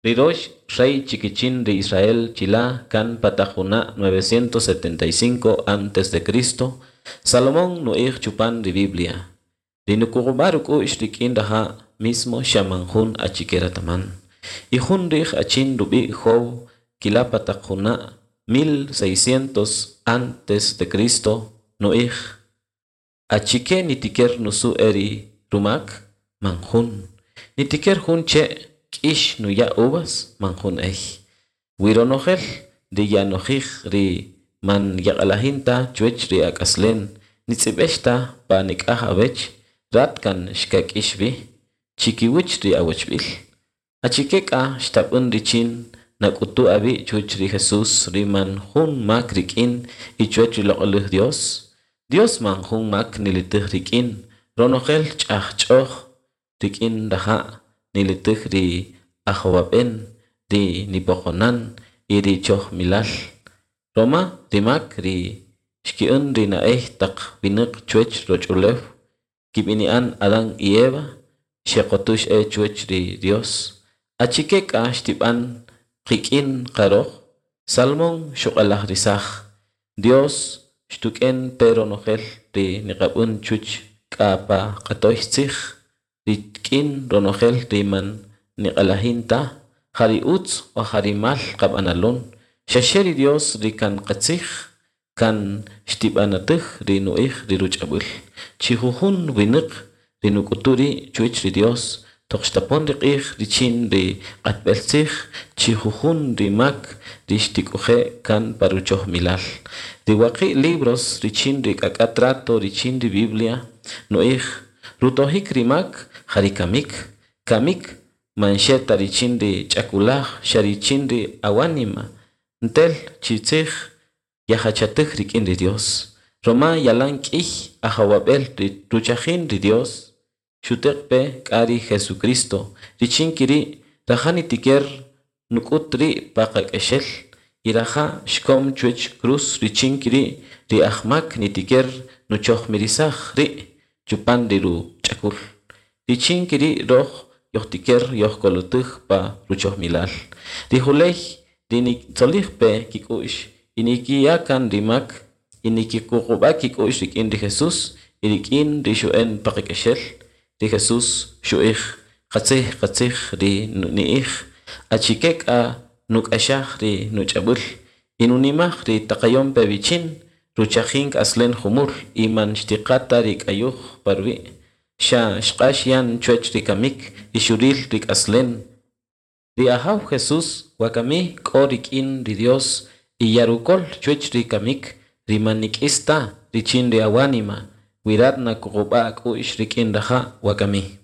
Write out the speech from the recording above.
Ri rox rey chikichin ri Israel chila' kan pa taq juna' 975 antes de Cristo, Salomón nu'ij chupan ri Biblia: Ri nukuqub'a' ruk'u'x rik'in raja' mismo xa man jun achike rataman. Y jun ri'j achin rub'i' Job kila' pa taq juna' 1600 antes de Cristo nu'ij: Achike nitiker nusu' e ri rumak? Man jun. Nitiker jun che' k'ix nuya' uvas? Man jun ey. Wi ronojel ri yanojij ri man yaq'alajin ta chuwech ri ak'aslen nitz'ib'ex ta pa nik'aj awech, rat kan xkak'ix wi, chikiwach ri awachb'il. Achike k'a xtab'än richin nak'utu awi' chuwach ri Jesús ri man jun mak rik'in y chuwach ri loq'olaj Dios? Dios man jun mak nilitij rik'in, ronojel ch'ajch'oj rik'in raja' nilitij ri ajowab'en, ri nipoqonan y ri chojmilal. Roma ri mak ri xki'än ri na'ey taq winäq chuwech roch'ulew kib'ini'an Adán y Eva xeqotux e chuwech ri Dios. Achike k'a xtib'an qik'in qaroj? Salomón xuq'alajrisaj. Dios xtuk'en pe ronojel ri niqab'än chuch k'a pa q'atoy tzij rik'in ronojel ri man niq'alajin ta, ja ri utz o ja ri mal qab'analon. Xaxe ri Dios ri kan qatzij kan xtib'anatij ri nu'ij ri ruch'ab'äl. Chi jujun winäq ri nuk'utu ri' chuwach ri Dios toq xtapon ri q'ij richin ri q'atb'el tzij chi jujun ri mak ri xtik'oje' kan pa ruchojmilal. Ri waqi' libros richin ri k'ak'a' trato richin ri Biblia nu'ij: Rutojik ri mak ja ri kamik. Kamik man xe ta richin ri ch'akulaj, xa richin ri awanima. Ntel chi tzij yajachatij rik'in ri Dios. Roma yalan k'iy ajowab'el ri ruchajin ri Dios xuteq pe k'a ri Jesucristo richin kiri' raja' nitiker nuk'ut ri' pa qak'exel y raja' xkom chuwech cruz richin kiri' ri ajmak nitiker nuchojmirisaj ri' chupan ri ruch'akul. Richin kiri' roj yojtiker yojkolotij pa ruchojmilal. Ri juley ri nitzolij pe kik'u'x y nikiya' kan ri mak y nikikuqub'a' kik'u'x rik'in ri Jesús y rik'in ri xu'en pa qak'exel. Ri Jesús xu'ij: Qatzij, qatzij ri ni'ij. Achike k'a nuk'axaj ri nuch'ab'äl y nunimaj ri taqayon pe wichin, ruchajin k'aslen jumul y man xtiqa ta ri k'ayuj pa ruwi'. Xa xq'ax yan chuwech ri kamik y xuril ri k'aslen. Ri Ajaw Jesús wakami k'o rik'in ri Dios y yarukol chuwech ri kamik ri man nik'is ta richin ri awanima wi rat nakuqub'a' ak'u'x rik'in raja' wakami.